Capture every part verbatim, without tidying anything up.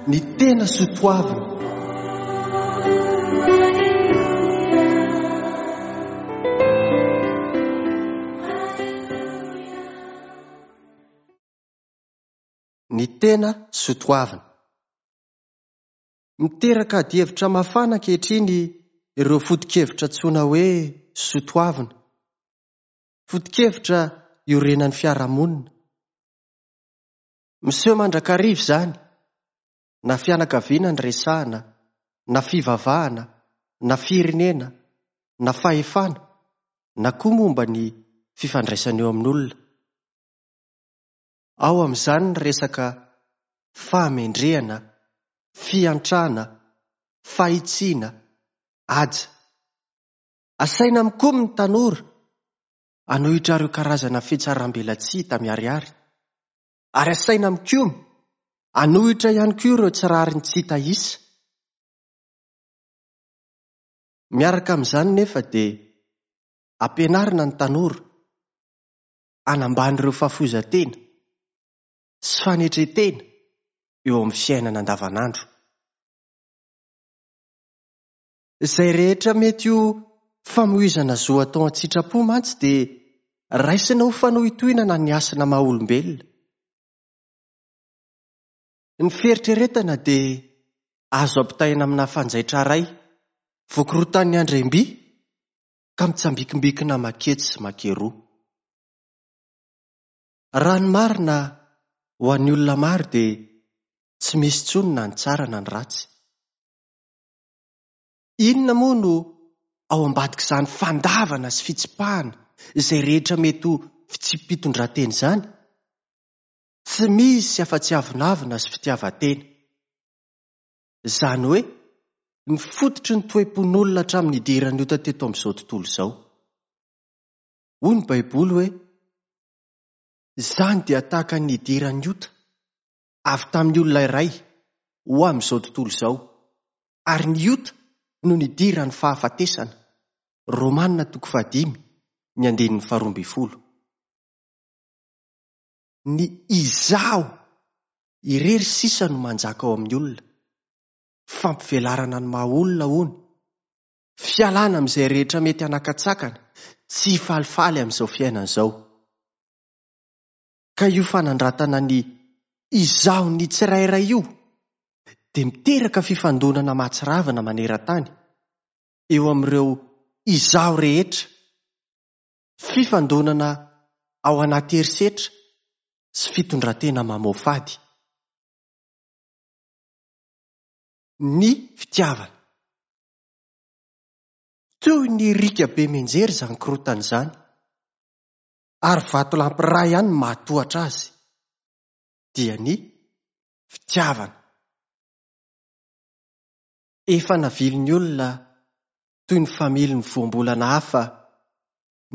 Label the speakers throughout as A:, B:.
A: Ny tena soatoavina. Ny tena soatoavina. Miteraka adihevitra mafana ankehitriny ireo foto-kevitra antsoina hoe soatoavina. Foto-kevitra iorenan'ny fiarahamonina. Miseho mandrakariva izany, na fianakaviana no resahana, na fivavahana, na firenena, na fahefana, na koa momba ny fifandraisana eo amin'olona. Ao amin'izany ny resaka fahamendrehana, fiantrana, fahitsiana, haja. Asaina mikomy ny tanora hanohitra ireo karazana fihatsarambelatsihy hita miharihary. Ary asaina mikomy hanohitra ihany koa ireo tsy rariny tsy hita isa. Miaraka amin'izany nefa dia ampianarina ny tanora hanambany ireo fahafoizan-tena sy fanetren-tena eo amin'ny fiainana andavanandro. Izay rehetra mety ho famoizana zo atao an-tsitrapo mantsy dia raisina ho fanohintohinana ny hasina maha olombelona. Ny fieritreretana dia azo ampitahaina amina fanjaitra iray voakorotan'ny andriamby ka mitsambikimbikina maketsy sy makeroa. Raha ny marina ho an'ny olona maro dia tsy misy intsony na ny tsara na ny ratsy. Inona moa no ao ambadik'izany fandavana sy fitsipahana izay rehetra mety ho fitsipi-pitondran-tena izany? Tsy misy afa-tsy avonavona sy fitiavan-tena. Izany hoe ny fototry ny toe-pon'olona hatramin'ny nidiran'ny ota teto amin'izao tontolo izao. Hoy ny Baiboly hoe izany dia tahaka ny nidiran'ny ota avy tamin'ny olona iray ho amin'izao tontolo izao, ary ny ota no nidiran'ny fahafatesana. Romana toko fahadimy, ny andininy faharoa ambin'ny folo. Ny izaho irery sisa no manjaka ao amin'ny olona. Fampivelarana ny maha olona hono. Fialana amin'izay rehetra mety hanakatsakana, tsy hifalifaly amin'izao fiainana izao. Ka io fanandratana ny izaho ny tsirairay io dia miteraka fifandonana mahatsiravina maneran-tany eo amin'ireo izaho rehetra. Fifandonana ao anaty herisetra sy fitondran-tena mamoafady. Ny fitiavana. Toy ny riaka be mianjera izany korontana izany, ary vatolampy iray ihany no mahatohatra azy, dia ny fitiavana. Efa navilin'ny olona toy ny familin'ny voambolana hafa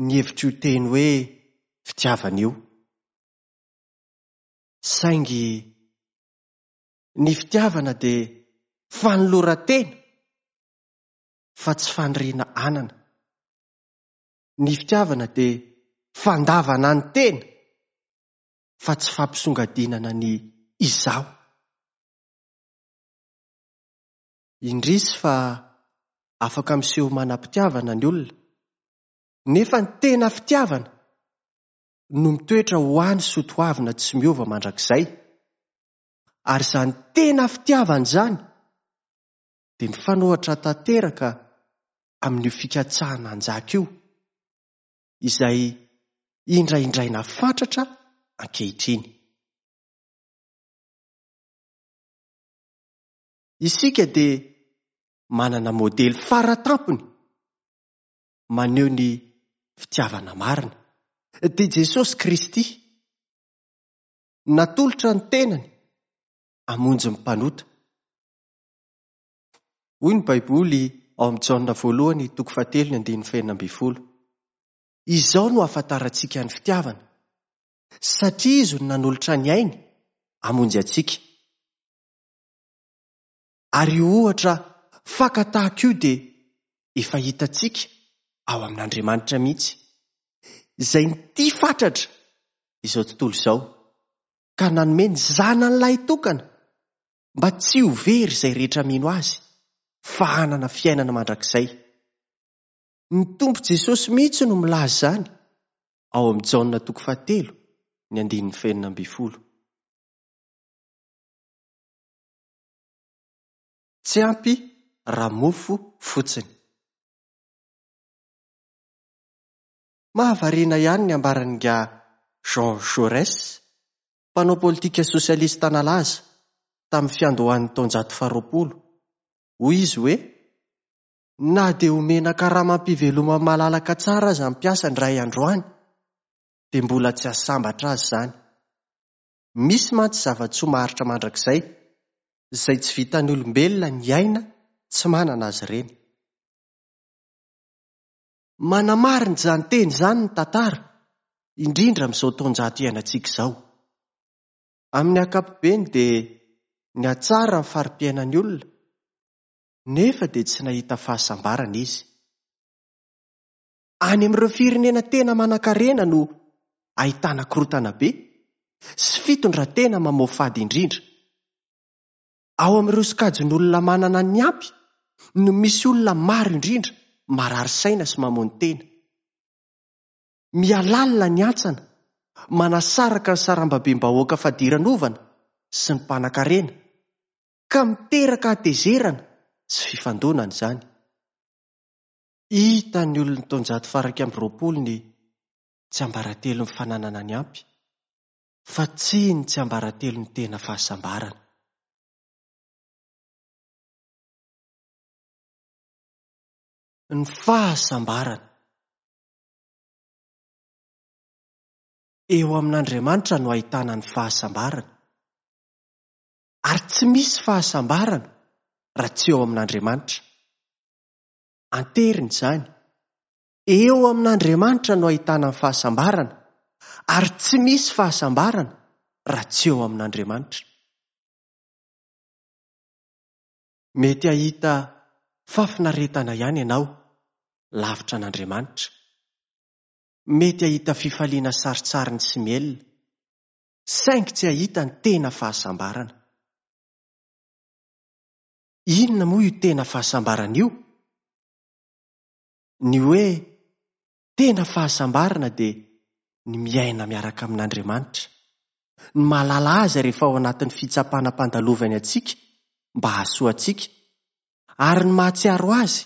A: ny hevitr'io teny hoe fitiavana io. Saingy ny fitiavana dia fanoloran-tena fa tsy faniriana anana. Ny fitiavana dia fandavana ny tena fa tsy fampisongadinana ny izaho. Indrisy fa afaka miseho manam-pitiavana ny olona, nefa ny tena fitiavana no mitoetra ho any soatoavina tsy miova mandrakizay. Ary izany tena fitiavana izany dia mifanohitra tanteraka amin'io fikatsahana hanjaka io, izay indraindraina fatratra ankehitriny. Isika dia manana modely faratampony maneho ny fitiavana marina, dia Jesosy Kristy. Natolotra ny tenany hamonjy ny mpanota. Hoy ny Baiboly ao amin'ny Jaona voalohany toko fahatelo ny andininy fahenina ambin'ny folo. Izao no ahafantarantsika ny fitiavana, satria izy no nanolotra ny ainy hamonjy antsika. Ary io ohatra fakatahaka io dia efa hitantsika ao amin'Andriamanitra mihitsy, izay nitia fatratra izao tontolo izao ka nanome ny zanany lahitokana mba tsy ho very izay rehetra mino Azy, fa hanana fiainana mandrakizay. Ny Tompo Jesosy mihitsy no milaza izany ao amin'ny Jaona toko fahatelo, ny andininy fahenina ambin'ny folo. Tsy ampy raha mofo fotsiny. Mahavariana ihany ny ambaran'ingahy Jean Jaurès, mpanao politika sosialista nalaza tamin'ny fiandohan'ny taonjato faharoapolo. Hoy izy hoe, na dia omena karamam-pivelomana malalaka tsara aza ny mpiasa indray androany, dia mbola tsy hahasambatra azy izany. Misy mantsy zava-tsoa maharitra mandrakizay, izay tsy vitan'ny olombelona ny aina tsy manana azy ireny. Manamarina izany teny izany ny tantara, indrindra amin'izao taonjato iainantsika izao. Amin'ny ankapobeny dia nihatsara ny fari-piainan'ny olona, nefa dia tsy nahita fahasambarana izy. Any amin'ireo firenena tena manankarena no ahitana korontana be sy fitondran-tena mamoafady indrindra. Ao amin'ireo sokajin'olona manana ny ampy no misy olona maro indrindra marary saina sy mamono tena. Mihalalina ny hantsana, manasaraka ny sarambabem-bahoaka fadiranovana sy ny mpanankarena, ka miteraka hatezerana sy fifandonana izany. Hitan'ny olon'ny taonjato faha-iraika amby roapolo ny tsiambaratelon'ny fananana ny ampy, fa tsy ny tsiambaratelon'ny tena fahasambarana. Ny fahasambarana. Eo amin'Andriamanitra no ahitana ny fahasambarana. Ary tsy misy fahasambarana raha tsy eo amin'Andriamanitra. Anteriny izany. Eo amin'Andriamanitra no ahitana ny fahasambarana, ary tsy misy fahasambarana raha tsy eo amin'Andriamanitra. Mety hahita fahafinaretana ihany ianao lavitra an'Andriamanitra. Mety hahita fifaliana sarintsariny sy mielina, saingy tsy hahita ny tena fahasambarana. Inona moa io tena fahasambarana io? Ny hoe tena fahasambarana dia ny miaina miaraka amin'Andriamanitra, ny mahalala azy rehefa ao anatin'ny fitsapana ampandalovany antsika mba hahasoa antsika, ary ny mahatsiaro azy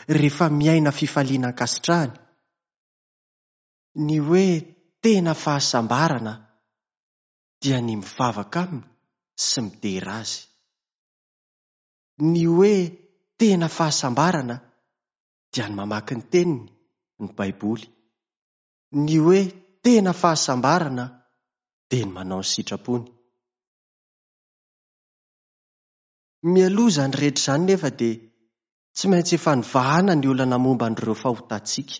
A: rehefa miaina fifaliana ankasitrahany. Ny hoe tena fahasambarana dia ny mivavaka aminy sy midera azy. Ny hoe tena fahasambarana dia ny mamaky ny teniny, ny Baiboly. Ny hoe tena fahasambarana dia ny manao ny sitrapony. Mialoha izany rehetra izany nefa dia tsy maintsy efa nivahana ny olana momba an'ireo fahotantsika,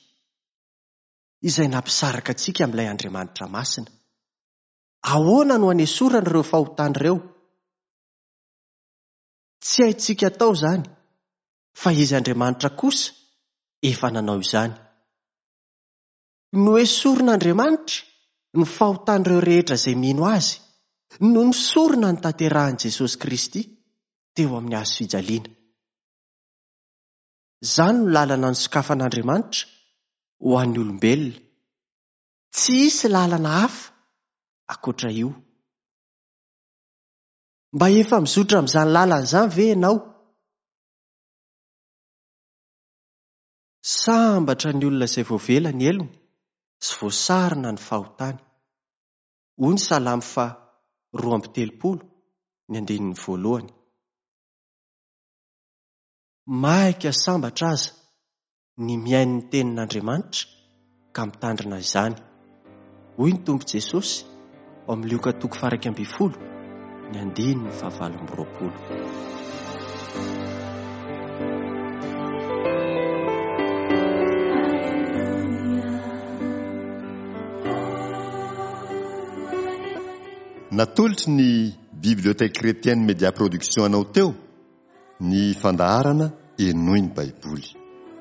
A: izay nampisaraka antsika amin'ilay Andriamanitra masina. Ahoana no hanesorana ireo fahotana ireo? Tsy haintsika atao izany, fa izy Andriamanitra kosa efa nanao izany. Noesorin'Andriamanitra ny fahotan'ireo rehetra izay mino azy, no nisorona ny tanterahan'i Jesosy Kristy teo amin'ny hazo fijaliana. Izany no lalana nosokafan'Andriamanitra ho an'ny olombelona. Tsy hisy lalana hafa ankoatra io. Mba efa mizotra amin'izany lalana izany ve ianao? Sambatra ny olona izay voavela ny helony sy voasarona ny fahotany. Hoy ny Salamo faha roa amby telopolo, ny andininy voalohany. Maika sambatra aza ny mihaino ny tenin'Andriamanitra ka mitandrina izany. Hoy ny Tompo Jesosy ao amin'ny Lioka toko faha-iraika ambin'ny folo, ny andininy fahavalo amby roapolo.
B: Natolotry ny Bibliothèque Chrétienne Média Production anao teo ny fandaharana Henoy ny Baiboly.